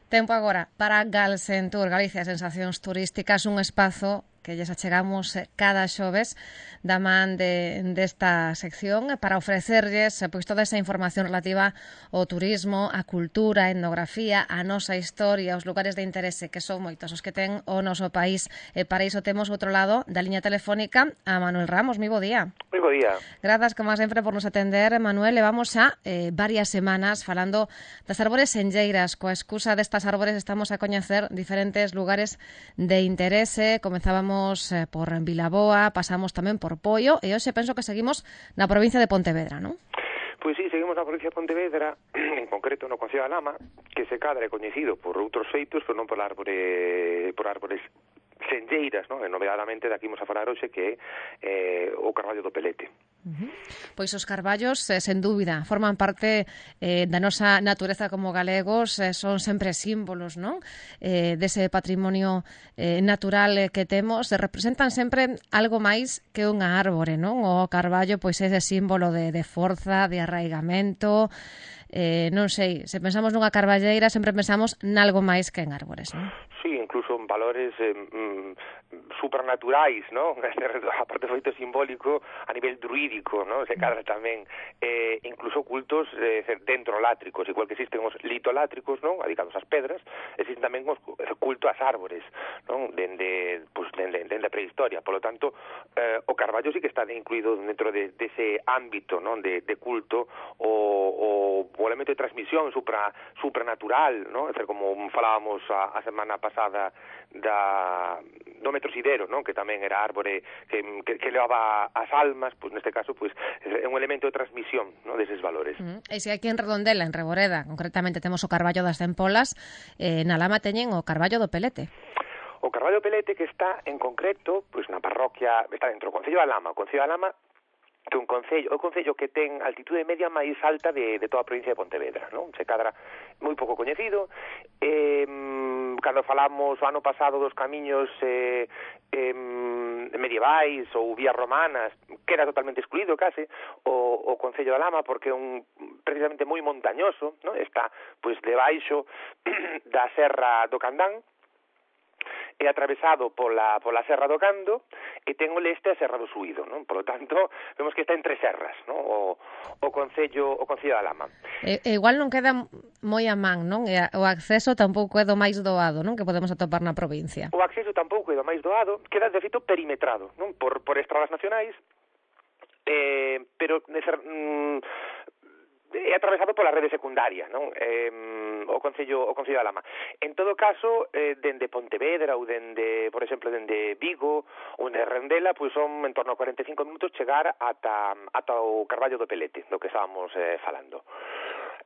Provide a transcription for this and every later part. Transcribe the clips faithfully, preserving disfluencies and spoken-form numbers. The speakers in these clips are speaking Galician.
Tempo agora para Galsentur, Galicia, Sensacións Turísticas, un espazo que lles achegamos cada xoves da man de, desta sección para ofrecerlles pois toda esa información relativa ao turismo, a cultura, a etnografía, a nosa historia, os lugares de interese que son moitos os que ten o noso país. E para iso temos outro lado da liña telefónica a Manuel Ramos. Moi bo día. Moi bo día. Grazas, como sempre, por nos atender, Manuel. Levamos xa eh, varias semanas falando das árbores senlleiras. Coa excusa destas árbores estamos a coñecer diferentes lugares de interese. Comenzábamos por Vilaboa, pasamos tamén por Poio e hoxe penso que seguimos na provincia de Pontevedra, non? Pois sí, seguimos na provincia de Pontevedra, en concreto no Concello da Lama, que se cadra é coñecido por outros feitos, pero non por árbore, por árbores senlleiras, non? E novedadamente daqui imos a falar hoxe que é eh, o carballo do Pelete. Uh-huh. Pois os carballos, eh, sen dúbida, forman parte eh, da nosa natureza como galegos, eh, son sempre símbolos, non? Eh, dese patrimonio eh, natural eh, que temos, eh, representan sempre algo máis que unha árbore, non? O carballo, pois, é ese símbolo de, de forza, de arraigamento, eh, non sei, se pensamos nunha carballeira sempre pensamos nalgo máis que en árbores, non? Sí, incluso en valores eh, mm, supernaturais, non? Aparte do feito simbólico a nivel druídico, non? Se cadra tamén eh, incluso cultos eh, dendrolátricos, igual que existen os litolátricos, non? Adicados ás pedras, existen tamén os culto ás árbores, non? Dende, pues, dende, dende a prehistoria. Por lo tanto, eh, o carballo sí que está incluído dentro de, de ese ámbito, non? De, de culto o, o o elemento de transmisión supra, supranatural, non? É dizer, como falábamos a, a semana pasada da, do metrosidero, non? Que tamén era árbore que, que, que levaba as almas, pois neste caso pois é un elemento de transmisión, non? Deses valores. Uh-huh. E se aquí en Redondela, en Reboreda, concretamente temos o carballo das Tempolas, eh, na Lama teñen o carballo do Pelete. O carballo do Pelete que está en concreto pois na parroquia, está dentro do Concello da Lama. O Concello da Lama que un concello, o concello que ten a altitude media máis alta de, de toda a provincia de Pontevedra, non? Se cadra moi pouco coñecido. Eh, cando falamos o ano pasado dos camiños eh, eh, medievais ou vías romanas, queda totalmente excluído case o, o Concello da Lama porque é un precisamente moi montañoso, non? Está pois debaixo da Serra do Candán, é atravesado pola, pola Serra do Cando e ten o leste a Serra do Suído, non? Por lo tanto, vemos que está entre serras, non? O, o Concello o Concello da Lama. E, e igual non queda moi a man, non? E a, o acceso tampouco é do máis doado, non? Que podemos atopar na provincia. O acceso tampouco é do máis doado, queda de feito perimetrado, non? Por, por estradas nacionais, eh, pero mm, é atravesado pola rede secundaria, non? Eh, o Concello o Concello da Lama. En todo caso, eh, dende Pontevedra ou dende, por exemplo, dende Vigo ou dende Rendela, pois son en torno a cuarenta e cinco minutos chegar ata, ata o carballo do Pelete, do que estábamos eh, falando.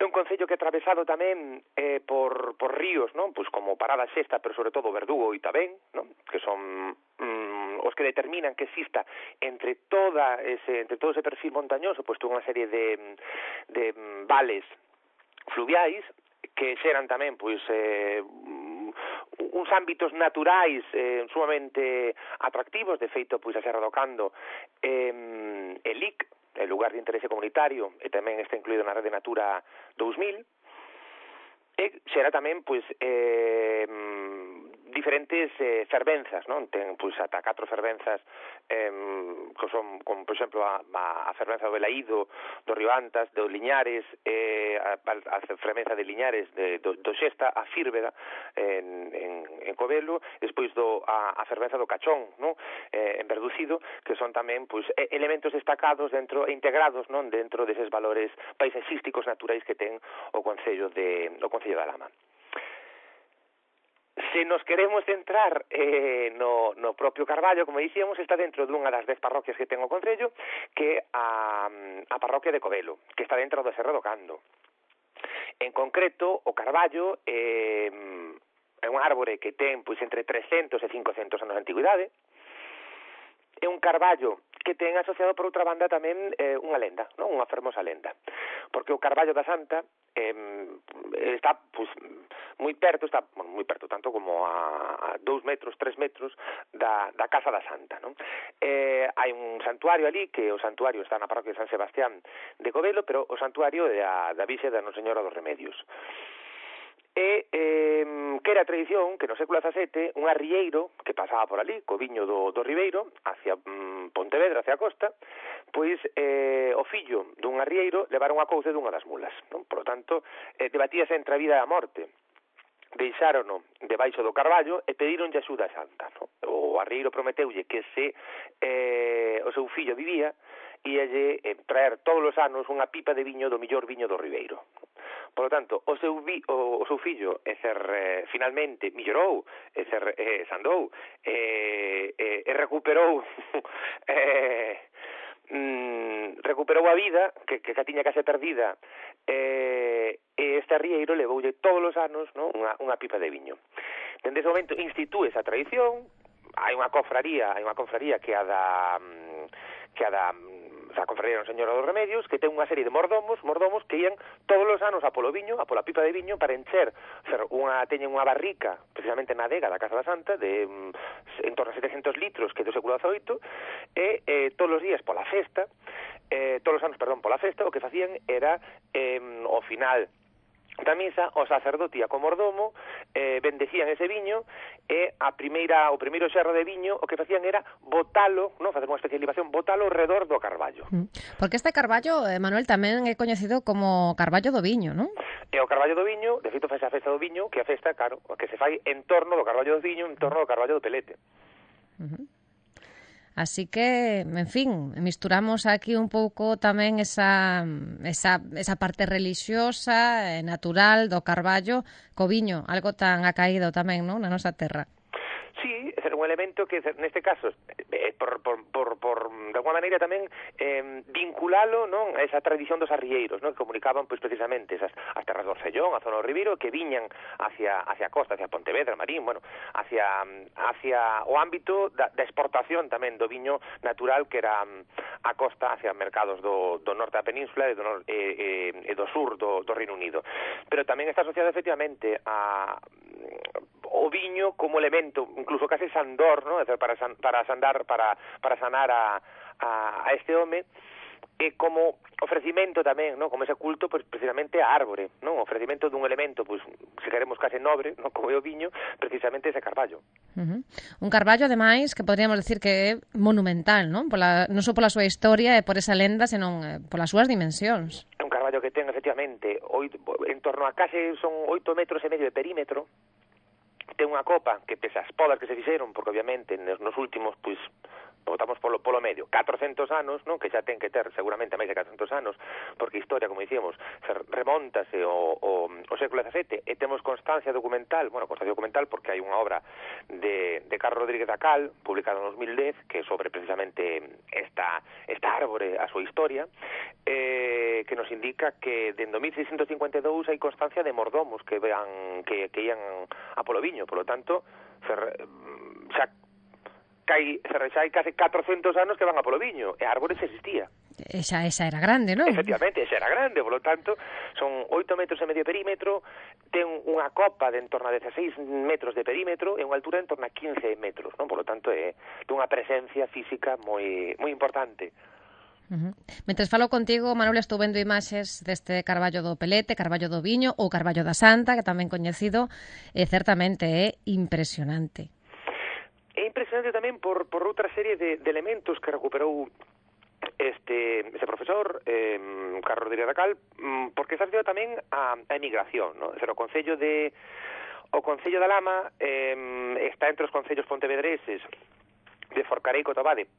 É un concello que é atravesado tamén eh, por, por ríos, non? Pois como Parada Xesta, pero sobre todo Verdugo e Itabén, non? Que son mm, os que determinan que exista entre toda ese entre todo ese perfil montañoso, pois toda unha serie de, de vales fluviais que xeran tamén pois eh, uns ámbitos naturais eh, sumamente atractivos. De feito, pois a Serra do Cando eh, e L I C, el lugar de interese comunitario, e tamén está incluído na Rede Natura dous mil, e xera tamén pois eh, diferentes eh, fervenzas, non? Ten pois ata catro fervenzas eh, que son, como por exemplo a, a fervenza do Belaído, do Río Antas, do Liñares, eh, a, a fervenza de Liñares, de, do, do Xesta, a Fírveda en, en, en Covelo, despois do, a, a fervenza do Cachón, non? Eh, en Verducido, que son tamén pois elementos destacados dentro e integrados, non? Dentro deses valores paisaxísticos naturais que ten o Concello de o Concello da Lama. Se nos queremos centrar eh, no, no propio carballo, como dicíamos, está dentro dunha das dez parroquias que ten o Concello, que é a, a parroquia de Covelo, que está dentro da Serra do Cando. En concreto, o carballo eh, é un árbore que ten pois entre trescentos e cincocentos anos de antigüidade. É un carballo que ten asociado por outra banda tamén eh, unha lenda, non? Unha fermosa lenda. Porque o carballo da Santa eh, está pues, moi perto, está bueno, moi perto, tanto como a, a dous metros, tres metros da, da Casa da Santa, non? Eh, hai un santuario ali, que o santuario está na parroquia de San Sebastián de Covelo, pero o santuario é da, da Virxe da Nosa Señora dos Remedios. E eh, quera a tradición que no século dezasete un arrieiro que pasaba por ali, co viño do, do Ribeiro, hacia mm, Pontevedra, hacia a costa, pois eh, o fillo dun arrieiro levaron a couce dunha das mulas, non? Por lo tanto, eh, debatíase entre a vida e a morte. Deixárono debaixo do carballo e pedironlle axuda a Santa, non? O arrieiro prometeulle que se eh, o seu fillo vivía, íalle eh, traer todos os anos unha pipa de viño do millor viño do Ribeiro. Por lo tanto, o seu, vi, o, o seu fillo e ser, eh, finalmente millorou, e ser, eh, sandou, e, eh, e recuperou eh, mm, recuperou a vida que, que, que tiña case perdida, eh, e este arrieiro levoulle todos os anos, non, unha, unha pipa de viño. Dende ese momento institúe esa tradición, hai unha confraría, hai unha confraría que a da que a da a confraría do Señor dos Remedios, que ten unha serie de mordomos, mordomos que ian todos os anos a polo viño, a pola pipa de viño para encher, ser unha teñen unha barrica, precisamente na adega da Casa da Santa de en torno a setecentos litros, que é do século dezaoito, e eh, todos os días pola festa, eh, todos os anos, perdón, pola festa, o que facían era eh, ao final da misa, o sacerdote e co mordomo eh, bendecían ese viño e a primeira, o primeiro xerro de viño o que facían era botalo, non, facer unha especie de libación, botalo ao redor do carballo. Porque este carballo, eh, Manuel, tamén é coñecido como carballo do viño, non? E o carballo do viño, de feito, faz a festa do viño, que a festa, claro, que se fai en torno do carballo do viño, en torno do carballo do Pelete. Uh-huh. Así que, en fin, misturamos aquí un pouco tamén esa, esa, esa parte relixiosa, eh, natural do carballo co viño, algo tan acaído tamén, non, na nosa terra. Sí, é un elemento que neste caso eh, por, por, por, por de alguma maneira tamén eh, vinculalo, non, a esa tradición dos arrieiros, non, que comunicaban pois precisamente esas as terras do Orcellón, a zona do Ribeiro, que viñan hacia hacia a costa, hacia Pontevedra, Marín, bueno, hacia hacia o ámbito da, da exportación tamén do viño natural que era a costa hacia mercados do, do norte da península e do, nor, e, e, e do sur do, do Reino Unido. Pero tamén está asociado efectivamente a o viño como elemento, incluso case sandor, ¿no? para san, para sandar, para para sanar a, a, a este home, e como ofrecimento tamén, ¿no? Como ese culto, pues precisamente a árbore, ¿no? Ofrecimento dun elemento, pues se queremos case nobre, ¿no? Como é o viño, precisamente ese carballo. Uh-huh. Un carballo, ademais, que podríamos decir que é monumental, ¿no? Pola, non só pola súa historia e por esa lenda, senón eh, polas súas dimensións. É un carballo que ten, efectivamente, oito, en torno a case son oito metros e medio de perímetro. Ten unha copa que pese as podas que se fixeron, porque obviamente nos últimos, pois, botamos polo, polo medio, catrocentos anos, non, que xa ten que ter seguramente máis de catrocentos anos, porque a historia, como dicíamos, remontase o, o, o século dezasete, e temos constancia documental, bueno, constancia documental porque hai unha obra de, de Carlos Rodríguez da Cal, publicada en dos mil dez, que é sobre precisamente esta, esta árbore, a súa historia, eh, que nos indica que dende mil seiscentos cincuenta e dous hai constancia de mordomos que vean que, que ian a polo viño, polo tanto, fer, xa hai, xa hai case catrocentos anos que van a polo viño, e a árbore xa existía. Esa, esa era grande, non? Efectivamente, esa era grande, polo tanto, son oito metros e medio de perímetro, ten unha copa de en torno a dezaseis metros de perímetro e unha altura en torno a quince metros, non? Polo tanto, é dunha presencia física moi moi importante. Uh-huh. Mentres falo contigo, Manuel, estou vendo imaxes deste carballo do Pelete, carballo do Viño ou carballo da Santa, que tamén coñecido, e certamente é impresionante. É impresionante tamén por, por outra serie de, de elementos que recuperou este ese profesor, eh, Carlos Rodríguez da Cal, porque está asociado tamén a, a emigración, ¿no? O concello de o concello da Lama eh, está entre os concellos pontevedreses de Forcarei, Cotobade,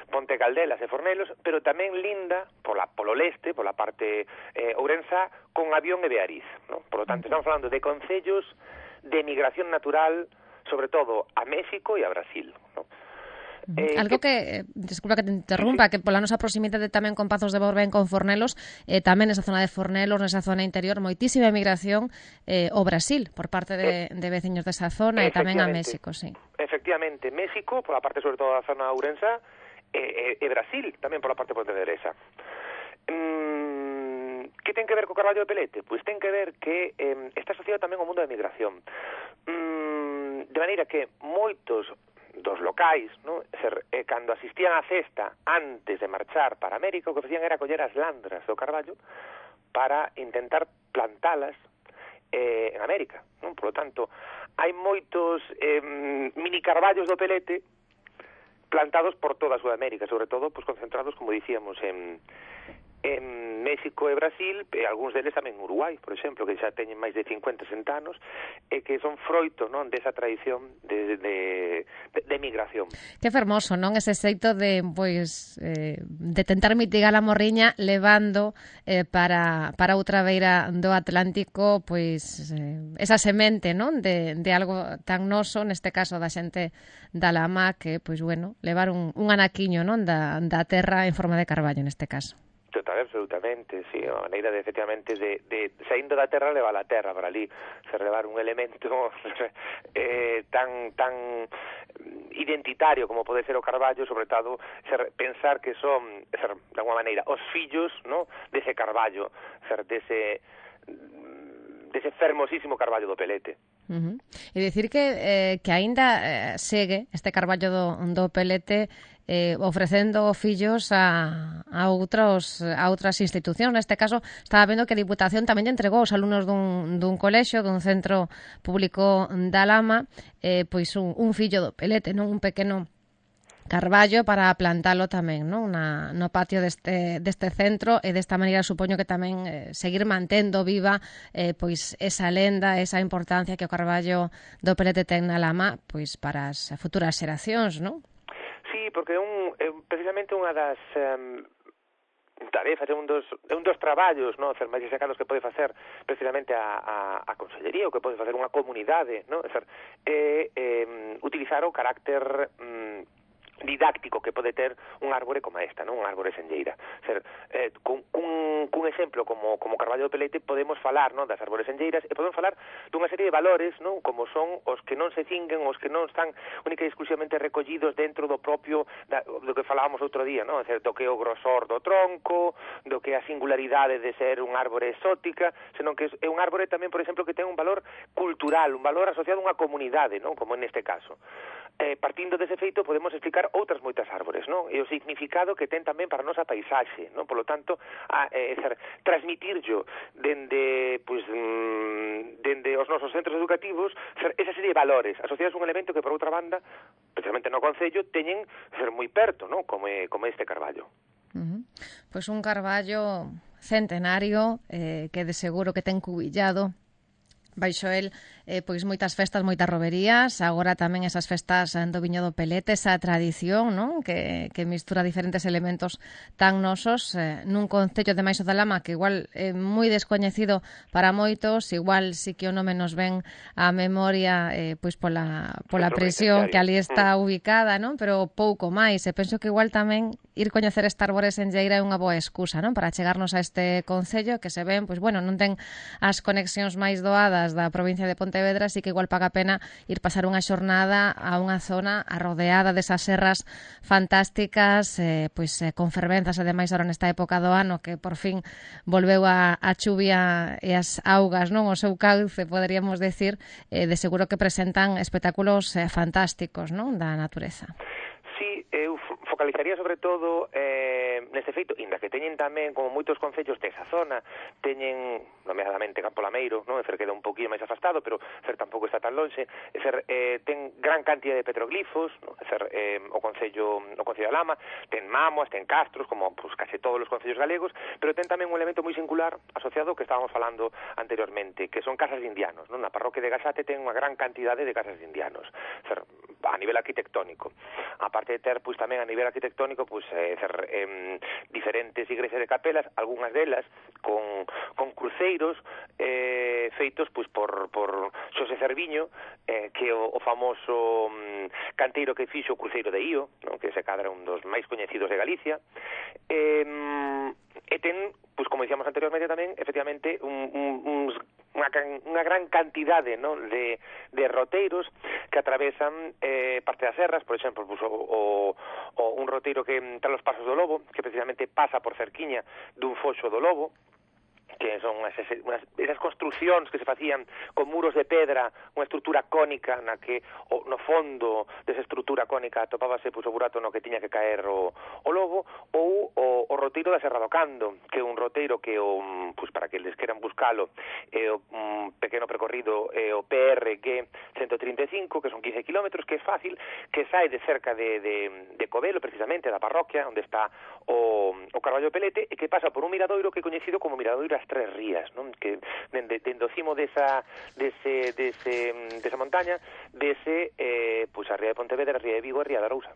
Ponte Caldelas e Fornelos, pero tamén linda pola, polo leste, pola parte eh, ourensá, con Avión e Beariz, ¿no? Por lo tanto, estamos falando de concellos de migración natural, sobre todo a México e a Brasil, ¿no? Eh, Algo que, que, disculpa que te interrumpa, sí, sí. que pola nosa proximidade tamén con Pazos de Borbén, con Fornelos, eh, tamén nesa zona de Fornelos, nesa zona interior, moitísima emigración eh, ao Brasil, por parte de, eh, de veciños desa zona, e tamén a México, sí. Efectivamente, México, pola parte sobre todo da zona ourensá, e, e, e Brasil, tamén pola parte pontevedresa. Mm, que ten que ver co carballo de Pelete? Pois ten que ver que eh, está asociado tamén ao mundo da migración. Mm, de maneira que moitos dos locais, ¿no? Ser, eh, cando asistían á festa antes de marchar para América, o que facían era coller as landras do carballo para intentar plantalas eh, en América, ¿no? Por lo tanto, hai moitos eh, mini carballos do Pelete plantados por toda Sudamérica, sobre todo pues, concentrados, como dicíamos, en, en México e Brasil, e algúns deles tamén en Uruguai, por exemplo, que xa teñen máis de cincuenta, sesenta anos, e que son froito, non, desa tradición de, de, de, de migración. Que fermoso, non? Ese xeito de, pois, eh, de tentar mitigar a morriña levando eh, para, para outra beira do Atlántico, pois, eh, esa semente, non? De, de algo tan noso, neste caso da xente da Lama, que, pois, bueno, levar un, un anaquiño, non? Da, da terra en forma de carballo, neste caso. Total, absolutamente, sí, a maneira de, efectivamente, de, de saindo da terra, levar a terra para ali, se levar un elemento eh, tan tan identitario como pode ser o carballo, sobre todo, ser, pensar que son, ser, de alguma maneira, os fillos, no, dese carballo, ser, dese dese fermosísimo carballo do Pelete. Uh-huh. E dicir que, eh, que aínda eh, segue este carballo do, do Pelete eh, ofrecendo fillos a, a, outros, a outras institucións. Neste caso, estaba vendo que a Diputación tamén lle entregou aos alumnos dun, dun colexio, dun centro público da Lama, eh, pois un, un fillo do Pelete, non, un pequeno carballo para plantalo tamén, non? Na, no patio deste, deste centro, e desta maneira supoño que tamén eh, seguir mantendo viva eh, pois esa lenda, esa importancia que o carballo do Pelete ten na Lama pois para as futuras xeracións, non? Sí, porque é un, é precisamente unha das um, tarefas, é un dos, é un dos traballos, non, ser máis destacados que pode facer precisamente a, a, a Consellería, ou que pode facer unha comunidade, non? É, é, é utilizar o carácter um, didáctico que pode ter un árbore como esta, non? Un árbore senlleira. Ser, eh, cun, cun, cun exemplo como, como Carballo do Pelete podemos falar, non, das árbores senlleiras, e podemos falar dunha serie de valores, non, como son os que non se cinguen, os que non están única e exclusivamente recollidos dentro do propio da, do que falábamos outro día, non? Ser, do que é o grosor do tronco, do que é a singularidade de ser un árbore exótica, senón que é un árbore tamén, por exemplo, que ten un valor cultural, un valor asociado a unha comunidade, non? Como neste caso. Eh, partindo dese feito podemos explicar outras moitas árbores, non? E o significado que ten tamén para a nosa paisaxe, non? Por lo tanto, a, eh, ser, transmitirlo dende, pues, mm, dende os nosos centros educativos, ser, esa serie de valores asociados a un elemento que, por outra banda, precisamente no Concello, teñen ser moi perto, non? Como, é, como este carballo. Uh-huh. Pois un carballo centenario eh, que de seguro que ten cubillado baixo el, eh, pois moitas festas, moitas roberías, agora tamén esas festas do Viño do Pelete, esa tradición, non? Que, que mistura diferentes elementos tan nosos eh, nun concello de Maixo da Lama que igual é eh, moi descoñecido para moitos, igual si que o nome nos ven a memoria eh, pois pola, pola presión que ali está ubicada, non? Pero pouco máis, e penso que igual tamén ir coñecer esta árbore senlleira é unha boa excusa, non? Para chegarnos a este concello que se ven, pois bueno, non ten as conexións máis doadas da provincia de Pontevedra, así que igual paga a pena ir pasar unha xornada a unha zona arrodeada desas serras fantásticas, eh, pois eh, con fervenzas, ademais ahora nesta época do ano que por fin volveu a, a chuvia e as augas, non? O seu cauce, poderíamos decir, eh, de seguro que presentan espectáculos eh, fantásticos, non? Da natureza. Sí, eu focalizaría sobre todo eh, neste feito, inda que teñen tamén, como moitos concellos desa zona, teñen, nomeadamente Campo Lameiro, non? É ser, queda un poquinho máis afastado, pero ser tampouco está tan lonxe, é ser, eh, ten gran cantidad de petroglifos, non? É ser, eh, o Concello o Concello da Lama, ten mámoas, ten castros, como pues, case todos os concellos galegos, pero ten tamén un elemento moi singular asociado ao que estábamos falando anteriormente, que son casas de indianos, non? Na parroquia de Gasate ten unha gran cantidade de casas de indianos, é ser, a nivel arquitectónico. Aparte de ter, pois, tamén a nivel arquitectónico, pois, eh, ser, eh, diferentes igrexas de capelas, algunhas delas con, con cruceiros eh, feitos, pois, por, por Xosé Cerviño, eh, que o, o famoso um, canteiro que fixo o cruceiro de Ío, non? Que se cadra un dos máis coñecidos de Galicia, eh, e ten, pois, como dicíamos anteriormente tamén, efectivamente, un, un, uns unha, unha gran cantidade, non? de, de roteiros que atravesan eh, parte das serras, por exemplo, pues, o, o, o un roteiro que entra os Pasos do Lobo, que precisamente pasa por cerquiña dun foxo do Lobo, que son unhas, unhas, esas construcións que se facían con muros de pedra, unha estrutura cónica na que o, no fondo desa estrutura cónica atopábase pois, o burato no que tiña que caer o, o lobo, ou o, o roteiro da Serra do Cando, que é un roteiro que o, pois, para que eles queran buscalo, é o um, pequeno percorrido é o P R G ciento trinta e cinco, que son quince kilómetros, que é fácil, que sai de cerca de, de, de Covelo, precisamente, da parroquia, onde está o, o Carballo Pelete, e que pasa por un miradoiro que é coñecido como Miradoiro As Tres Rías, non? Que dende, dende o cimo desa, dese, dese, desa montaña, dese, eh, pois a Ría de Pontevedra, a Ría de Vigo e a Ría da Arousa.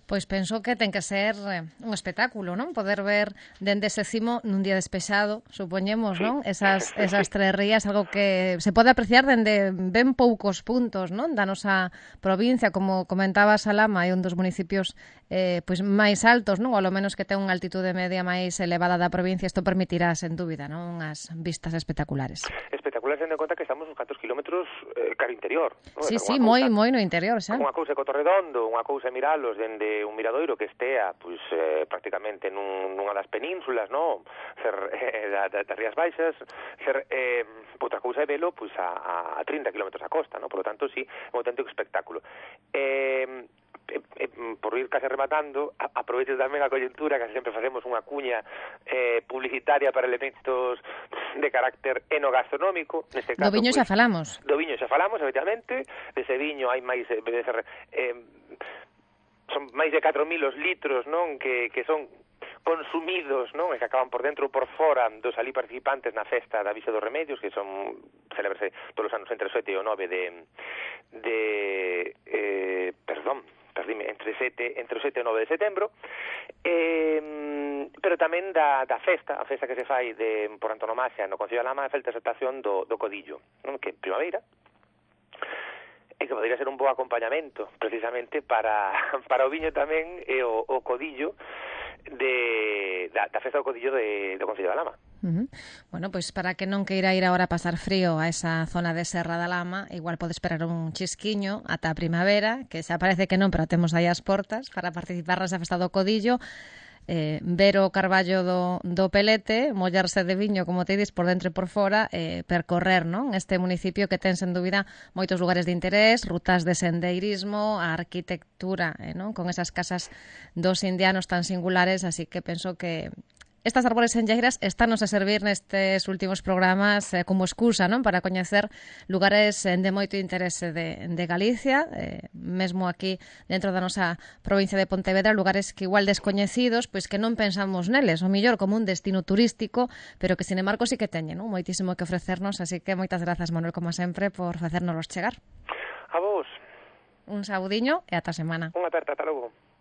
Pois penso que ten que ser eh, un espectáculo, non? Poder ver dende ese cimo nun día despexado, supoñemos, sí. Non? Esas, esas tres rías, algo que se pode apreciar dende ben poucos puntos, non? Da nosa provincia, como comentaba Salama, é un dos municipios eh, pois máis altos, non? Ou ao menos que ten unha altitude media máis elevada da provincia, isto permitirá, sen dúbida, non? Unhas vistas espectaculares. Espectaculares, tendo en conta que estamos uns cantos kilómetros eh, cara interior. Non? Sí, sí, moi, moi no interior, xa. Unha cousa é Cotorredondo, unha cousa é miralos dende un miradoiro que estea pois, eh, prácticamente nun, nunha das penínsulas, no? Ser eh, da, da, das Rías Baixas, ser eh, outra cousa é velo pois, a, a trinta kilómetros a costa, no? Por lo tanto, sí, é un auténtico espectáculo. Eh, eh, eh, por ir case rematando, a, aproveito tamén a coyuntura, que sempre facemos unha cuña eh, publicitaria para elementos de carácter enogastronómico, neste caso... Do viño pois, xa falamos. Do viño xa falamos, efectivamente, dese viño hai máis... Eh, eh, son máis de catro mil os litros, non, que, que son consumidos, non, e que acaban por dentro ou por fora dos ali participantes na festa da Vixe dos Remedios, que son celebrase todos os anos entre o sete e o nove de de eh, perdón, perdime, entre sete, entre o sete e o nove de setembro. Eh, pero tamén da, da festa, a festa que se fai de, por antonomasia no Concello de Lama, a felicitación do, do Codillo, non, que primavera, e que podería ser un bo acompañamento precisamente para, para o viño tamén e o, o codillo de, da, da festa do codillo de, do Concello da Lama. Uh-huh. Bueno, pois pues para que non queira ir agora a pasar frío a esa zona de Serra da Lama, igual pode esperar un chisquiño ata a primavera, que xa parece que non, pero temos aí as portas para participar nesa festa do codillo. Eh, ver o carballo do, do Pelete, mollarse de viño, como te dis, por dentro e por fora, eh, percorrer, non? Este municipio que ten, sen dúbida, moitos lugares de interés, rutas de sendeirismo, a arquitectura, eh, non? Con esas casas dos indianos tan singulares, así que penso que estas árbores enlleiras estános a servir nestes últimos programas eh, como excusa, non? Para coñecer lugares eh, de moito interese de, de Galicia, eh, mesmo aquí dentro da nosa provincia de Pontevedra, lugares que igual descoñecidos, pois que non pensamos neles, o mellor como un destino turístico, pero que sin embargo sí que teñen, non? Moitísimo que ofrecernos, así que moitas grazas, Manuel, como sempre, por facérnoslos chegar. A vos. Un saudiño e ata semana. Unha aperta, ata logo.